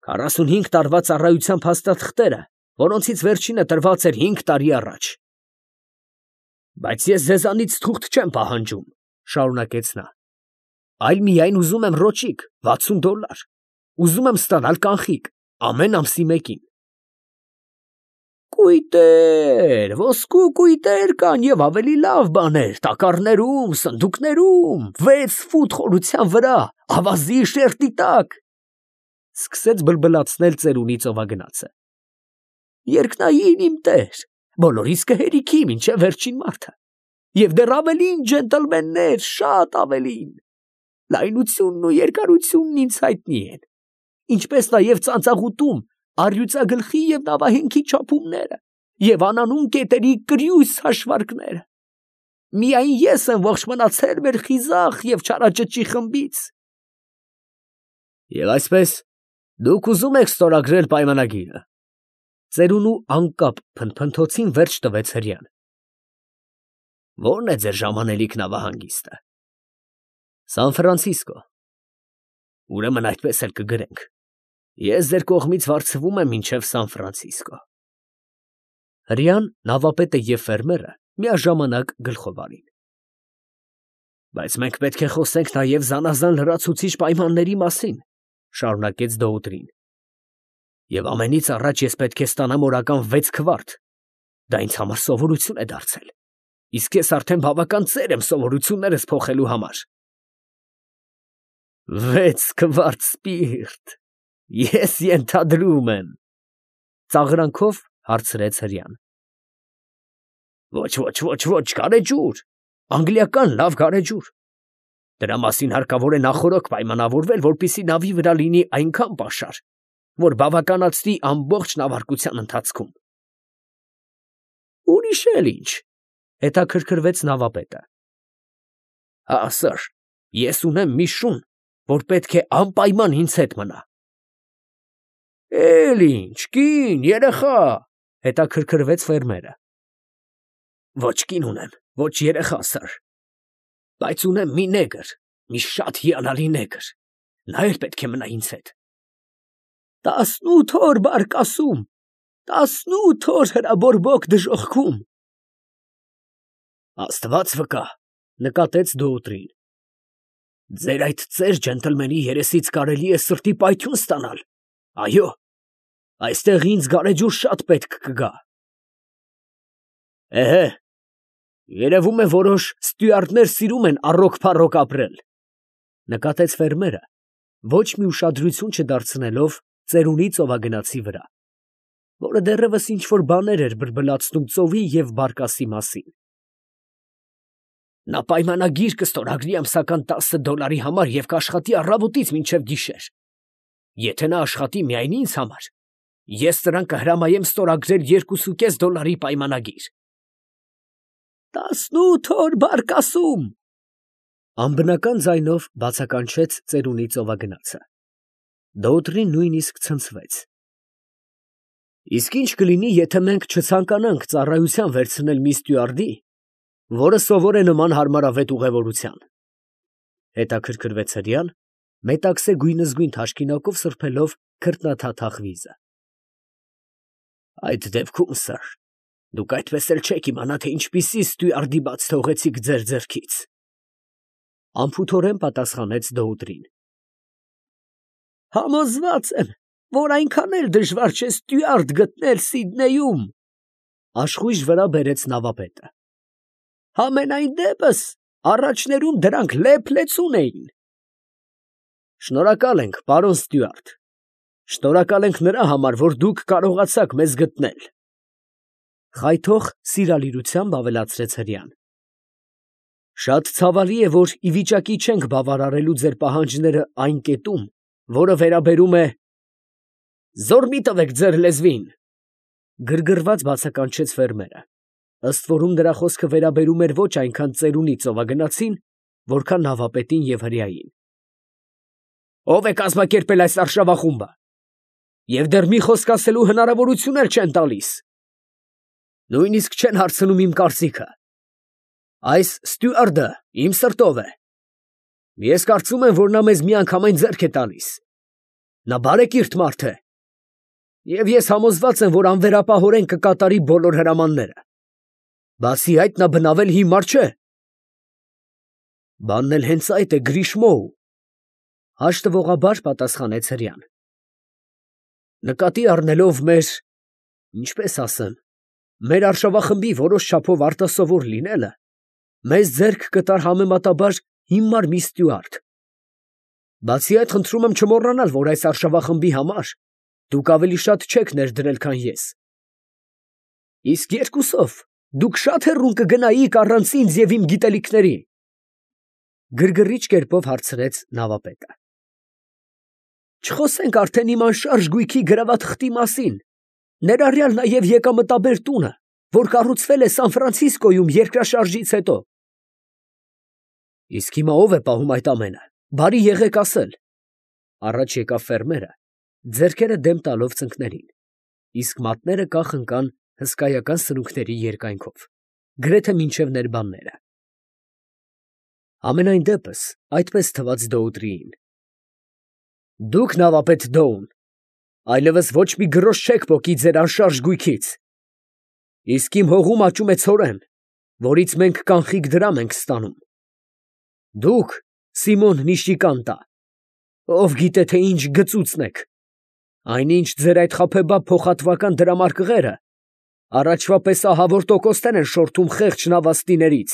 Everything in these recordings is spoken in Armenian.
45 տարվա ծառայության փաստաթղթերը, որոնցից վերջինը տրված էր 5 տարի առաջ։ Բայց ես ձեզանից թուղթ չեմ պահանջում, շարունակեց նա, այլ միայն ուզում եմ ռոճիկ, $60, ուզում եմ ստանալ կանխիկ, ամեն ամսի մեկին։ Կույտեր, ոսկու կույտեր կան և ավելի լավ բաներ, տակառներում, սնդուկներում, 6 ֆուտ խորության վրա, ավազի շերտի տակ, սկսեց բլբլացնել ծերունի ծովագնացը։ Երկնային իմ տեր, բոլորիս կհերիքի մինչև վերջին մարդը, և դեռ ավելին, ջենտլմեններ, շատ ավելին, լայնությունն ու երկարությունն ինձ հայտնի են, ինչպես նաև ծանծաղուտում, առյուծագլխի և նավահենքի չափումները և անանուն կետերի կրյուս հաշվարկները։ Միայն ես եմ ողջ մնացել մեր խիզախ և չարաճճի խմբից։ Եվ այսպես, դուք ուզում եք ստորագրել պայմանագիրը։ Ծերունու անկապ փնթփնթոցին վերջ տվեց հրեան։ Ո՞րն է ձեր ժամանելիք նավահանգիստը։ Սան Ֆրանցիսկո։ Ուրեմն այդպես էլ կգրենք։ Ես ձեր կողմից վարձվում եմ մինչև Սան Ֆրանցիսկո։ Հրեան, նավապետը և ֆերմերը միաժամանակ գլխով արին։ Բայց մենք պետք է խոսենք նաև զանազան լրացուցիչ պայմանների մասին, շարունակեց Դոուտրին։ Եվ ամենից առաջ ես պետք է ստանամ օրական 6 քվարտ։ Դա ինձ համար սովորություն է դարձել։ Իսկ ես արդեն բավական ծեր եմ սովորություններս փոխելու համար։ 6 քվարտ սպիրտ, ես ենթադրում եմ, ծաղրանքով հարցրեց հրեան։ Ոչ, գարեջուր, անգլիական լավ գարեջուր։ Դրա մասին հարկավոր է նախօրոք պայմանավորվել, որպեսզի նավի վրա լինի այնքան պաշար, որ բավականացնի ամբողջ նավարկության ընթացքում։ Ուրիշ էլ ինչ, հետաքրքրվեց նավապետը։ Հա, սըր, ես ունեմ մի շուն, որ պետք է անպայման ինձ հետ մնա։ Էլ ինչ, կին, երեխա, հետաքրքրվեց ֆերմերը։ Ոչ կին ունեմ, ոչ երեխա, սըր, բայց ունեմ մի նեգր, մի շատ հիանալի նեգր, նա էլ պետք է մնա ինձ հետ։ 18 օր բարկասում, 18 օր հրաբորբոք դժոխքում։ Աստված վկա, նկատեց Դոուտրին։ Ձեր այդ ծեր ջենտլմենի երեսից կարելի է սրտի պայթյուն ստանալ։ Այո, այստեղ ինձ գարեջուր շատ պետք կգա։ Էհե, երևում է որոշ ստյուարդներ սիրում են առոք-փառոք ապրել, նկատեց ֆերմերը, ոչ մի ուշադրություն չդարձնելով ծերունի ծովագնացի վրա, որը դեռևս ինչ-որ բաներ էր բլբլացնում ծովի և բարկասի մասին։ Նա պայմանագիր կստորագրի ամսական $10 համար և կաշխատի առավոտից մինչև գիշեր։ Եթե նա աշխատի միայն ինձ համար, ես նրան կհրամայեմ ստորագրել $2.5 պայմանագիր։ 18 օր բարկասում, անբնական ձայնով բացականչեց ծերունի ծովագնացը։ Դոուտրին նույնիսկ ցնցվեց։ Իսկ ինչ կլինի, եթե մենք չցանկանանք ծառայության վերցնել մի ստյուարդի, որը սովոր է նման հարմարավետ ուղևորության։ Հետաքրքրվեց հրեան, մետաքսե գույնզգույն թաշկինակով սրբելով քրտնաթաթախ վիզը։ Այդ դեպքում, սըր, դուք այդպես էլ չեք իմանա, թե ինչպիսի ստյուարդի բաց թողեցիք ձեր ձեռքից, անփութորեն պատասխանեց Դոուտրին։ Համոզված եմ, որ այնքան էլ դժվար չէ ստյուարդ գտնել Սիդնեյում, աշխույժ վրա բերեց նավապետը։ Համենայն դեպս, առաջներում դրանք լեփ-լեցուն էին։ Շնորհակալ ենք, պարոն ստյուարդ, շնորհակալ ենք նրա համար, որ դուք կարողացաք մեզ գտնել, խայթող սիրալիրությամբ ավելացրեց հրեան։ Շատ ցավալի է, որ ի վիճակի չենք բավարարելու ձեր պահանջները այն կետում, որը վերաբերում է… Զոռ մի տվեք ձեր լեզվին, գրգռված բացականչեց ֆերմերը, ըստ որում նրա խոսքը վերաբերում էր ոչ այնքան ծերունի ծովագնացին, որքան նավապետին և հրեային։ Ո՞վ է կազմակերպել այս արշավախումբը, և դեռ մի խոսք ասելու հնարավորություն էլ չեն տալիս։ Նույնիսկ չեն հարցնում իմ կարծիքը։ Այս ստյուարդը իմ սրտով է։ Ես կարծում եմ, որ նա մեզ միանգամայն ձեռք է տալիս։ Նա բարեկիրթ մարդ է, և ես համոզված եմ, որ անվերապահորեն կկատարի բոլոր հրամանները։ Բացի այդ, նա բնավել հիմար չէ։ Բանն էլ հենց այդ է, Գրիշմոու, հաշտվողաբար պատասխանեց հրեան։ Նկատի առնելով ինչպես ասեմ, մեր արշավախմբի որոշ չափով արտասովոր լինելը, մեզ ձեռք կտար համեմատաբար հիմար մի ստյուարդ։ Բացի այդ, խնդրում եմ չմոռանալ, որ այս արշավախմբի համար դուք ավելի շատ չեք ներդրել, քան ես։ Իսկ երկուսով դուք շատ հեռուն կգնայիք առանց ինձ և իմ գիտելիքների, գրգռիչ կերպով հարցրեց նավապետը։ Չխոսենք արդեն իմ անշարժ գույքի գրաված խտի մասին, ներառյալ նաև եկամտաբեր տունը, որ կառուցվել է Սան Ֆրանցիսկոյում երկրաշարժից հետո։ Իսկ հիմա ով է պահում այդ ամենը, բարի եղեք ասել։ Առաջ եկավ ֆերմերը, ձեռքերը դեմ տալով ծնկներին, իսկ մատները կախ ընկան հսկայական սրունքների երկայնքով, գրեթե մինչև ներբանները։ Ամենայն դեպս այդպես թվաց Դոուտրիին։ Դուք նավապետ Դոուն, այլևս ոչ մի գրոշ չեք պոկի ձեր անշարժ գույքից։ Իսկ իմ հողում աճում է ցորեն, որից մենք կանխիկ դրամ ենք ստանում։ Դուք, Սիմոն Նիշիկանտա, ով գիտե թե ինչ գծուծն եք, այնինչ ձեր այդ խաբեբաբ փոխհատվական դրամարկղերը առաջվա պես ահավոր տոկոսներ են շորթում խեղճ նավաստիներից։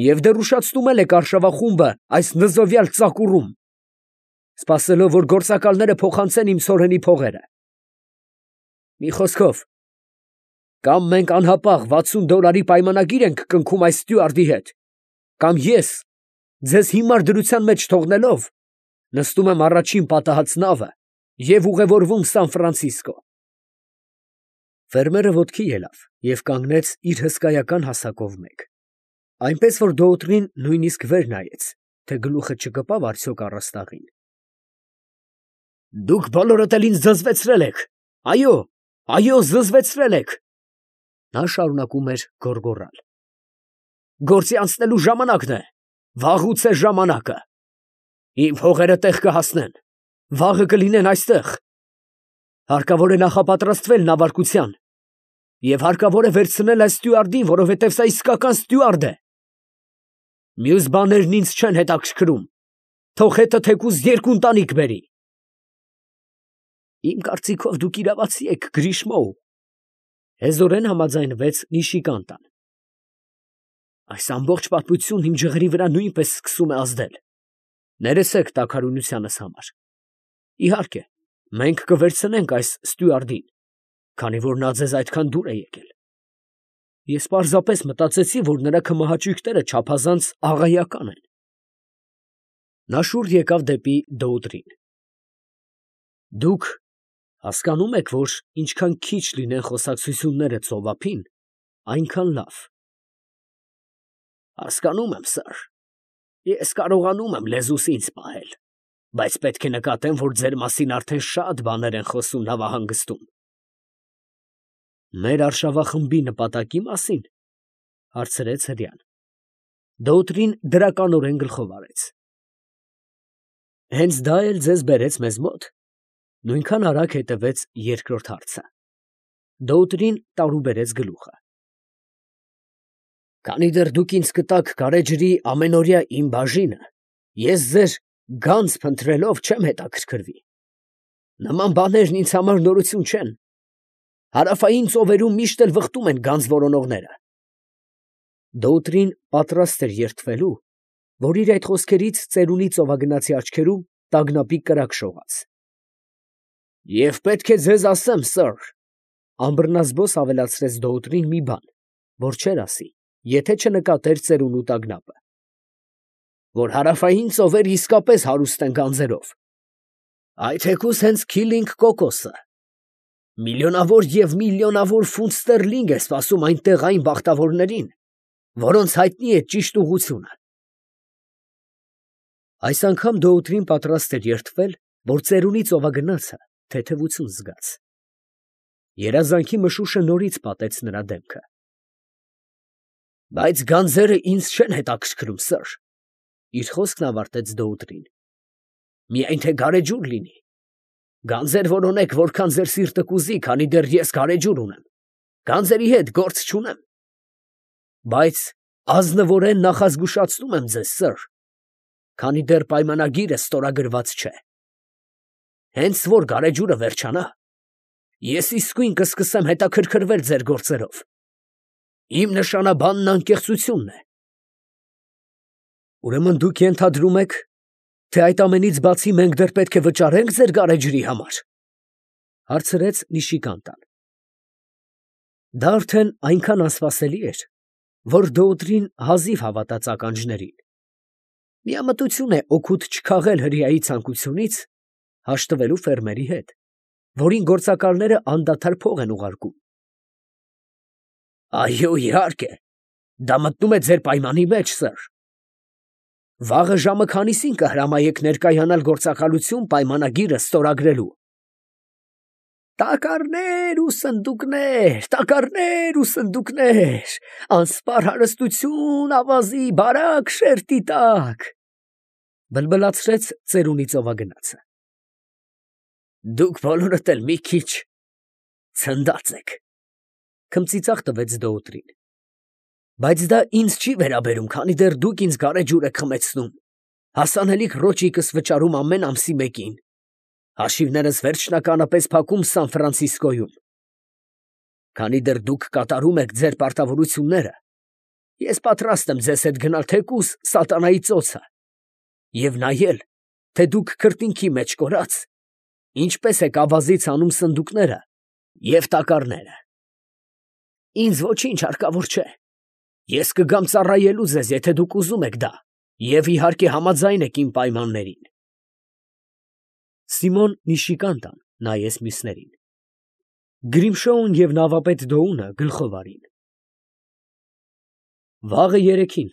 Եվ դեռ ուշացնում եք արշավախումբը այս նզովյալ ծակուրում, սպասելով, որ գործակալները փոխանցեն իմ ցորենի փողերը։ Մի խոսքով, կամ մենք անհապաղ $60 պայմանագիր ենք կնքում այս ստյուարդի հետ, կամ ես, ձեզ հիմար դրության մեջ թողնելով, նստում եմ առաջին պատահած նավը և ուղևորվում Սան Ֆրանցիսկո։ Ֆերմերը ոտքի ելավ և կանգնեց իր հսկայական հասակով մեկ, այնպես որ Դոուտրին նույնիսկ վեր նայեց, թե գլուխը չկպավ արդյոք առաստաղին։ Դուք բոլորդ էլ ինձ զզվեցրել եք, այո, զզվեցրել եք, նա շարունակում էր գոռգոռալ։ Գործի անցնելու ժամանակն է, վաղուց է ժամանակը։ Իմ փողերը տեղ կհասնեն, վաղը կլինեն այստեղ։ Հարկավոր է նախապատրաստվել նավարկության և հարկավոր է վերցնել այս ստյուարդին, որովհետև սա իսկական ստյուարդ է։ Մյուս բաներն ինձ չեն հետաքրքրում, թող հետը թեկուզ 2 ընտանիք բերի։ Իմ կարծիքով դուք իրավացի եք, Գրիշմոու, հեզորեն համաձայնվեց Նիշիկանտան։ Այս ամբողջ պատմությունն իմ ջղերի վրա նույնպես սկսում է ազդել։ Ներեցեք տաքարյունությանս համար։ Իհարկե, մենք կվերցնենք այս ստյուարդին, քանի որ նա ձեզ այդքան դուր է եկել։ Ես պարզապես մտածեցի, որ նրա քմահաճույքները չափազանց աղայական են։ Նա շուռ եկավ դեպի Դոուտրին։ Դուք հասկանում եք, որ ինչքան քիչ լինեն խոսակցությունները ծովափին, այնքան լավ։ Հասկանում եմ, սըր, ես կարողանում եմ լեզուս ինձ պահել, բայց պետք է նկատեմ, որ ձեր մասին արդեն շատ բաներ են խոսում նավահանգստում։ Մեր արշավախմբի նպատակի մասին, հարցրեց հրեան։ Դոուտրին դրականորեն գլխով արեց։ Հենց դա էլ ձեզ բերեց մեզ մոտ։ Նույնքան արագ հետևեց երկրորդ հարցը։ Դոուտրին տարուբերեց գլուխը։ Քանի դեռ դուք ինձ կտաք գարեջրի ամենօրյա իմ բաժինը, ես ձեր գանձ փնտրելով չեմ հետաքրքրվի։ Նման բաներն ինձ համար նորություն չեն։ Հարավային ծովերում միշտ էլ վխտում են գանձ որոնողները։ Դոուտրին պատրաստ էր երդվելու, որ իր այդ խոսքերից ծերունի ծովագնացի աչքերում տագնապի կրակ շողաց։ Եվ պետք է ձեզ ասեմ, սըր, ամբռնազբոս ավելացրեց Դոուտրին մի բան, որ չէր ասի, եթե չնկատեր ծերունու տագնապը, որ հարավային ծովերը իսկապես հարուստ են գանձերով, այդ թեկուզ հենց Քիլինգ կոկոսը, միլիոնավոր և միլիոնավոր ֆունտ ստերլինգ է սպասում այնտեղ այն բախտավորներին, որոնց հայտնի է ճիշտ ուղղությունը։ Այս անգամ Դոուտրին պատրաստ էր երդվել, որ ծերունի ծովագնացը թեթևություն զգաց։ Երազանքի մշուշը նորից պատեց նրա դեմքը։ Բայց գանձերը ինձ չեն հետաքրքրում, սըր, իր խոսքն ավարտեց Դոուտրին։ Միայն թե գարեջուր լինի։ Գանձեր որոնեք, որքան ձեր սիրտը կուզի, քանի դեռ ես գարեջուր ունեմ։ Գանձերի հետ գործ չունեմ։ Բայց ազնվորեն նախազգուշացնում եմ ձեզ, սըր, քանի դեռ պայմանագիրը ստորագրված չէ։ Հենց որ գարեջուրը վերջանա, ես իսկույն կսկսեմ հետաքրքրվել ձեր գործերով։ Իմ նշանաբանն անկեղծությունն է։ Ուրեմն դուք ենթադրում եք, թե այդ ամենից բացի մենք դեռ պետք է վճարենք ձեր գարեջրի համար, հարցրեց Նիշիկանտան։ Դա արդեն այնքան անսպասելի էր, որ Դոուտրին հազիվ հավատաց ականջներին։ Միամտություն է օգուտ չքաղել հրեայի ցանկությունից հաշտվելու ֆերմերի հետ, որին գործակալները անդադար փող են ուղարկում։ Այո, իհարկե, դա մտնում է ձեր պայմանի մեջ, սըր։ Վաղը ժամը քանիսին կհրամայեք ներկայանալ գործակալություն պայմանագիրը ստորագրելու։ Տակառներ ու սնդուկներ, տակառներ ու սնդուկներ, անսպար հարստություն, ավազի, բարակ շերտի տակ, բլբլացրեց ծերունի ծովագնացը։ Դուք բոլորդ էլ մի քիչ ցնդած եք, քմծիծաղ տվեց Դոուտրին։ Բայց դա ինձ չի վերաբերում, քանի դեռ դուք ինձ գարեջուր եք խմեցնում, հասանելիք ռոճիկս վճարում ամեն ամսի մեկին, հաշիվներս վերջնականապես փակում Սան Ֆրանցիսկոյում։ Քանի դեռ դուք կատարում եք ձեր պարտավորությունները, ես պատրաստ եմ ձեզ հետ գնալ թեկուզ սատանայի ծոցը և նայել, թե դուք քրտինքի մեջ կորած, ինչպես եք ավազից անում սնդուկները և տակառները։ Ինձ ոչինչ հարկավոր չէ։ Ես կգամ ծառայելու ձեզ, եթե դուք ուզում եք դա, և իհարկե համաձայն եք իմ պայմաններին։ Սիմոն Նիշիկանտան նայեց մյուսներին։ Գրիմշոուն և նավապետ Դոունը գլխով արին։ Վաղը երեքին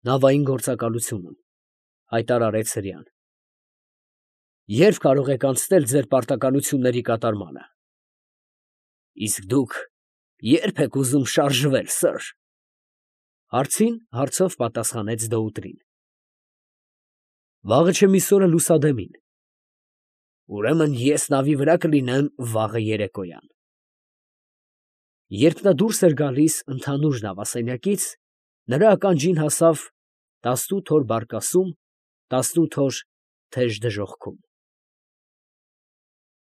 նավային գործակալությունում, հայտարարեց հրեան։ Երբ կարող եք անցնել ձեր պարտականությունների կատարմանը։ Իսկ դուք ե՞րբ եք ուզում շարժվել, սըր։ Հարցին հարցով պատասխանեց Դոուտրին։ Վաղը չմիսօրը լուսադեմին։ Ուրեմն ես նավի վրա կլինեմ վաղը երեկոյան։ Երբ նա դուրս էր գալիս ընդհանուր նավասենյակից, նրա ականջին հասավ 18 օր բարկասում, 18 օր թեժ դժոխքում։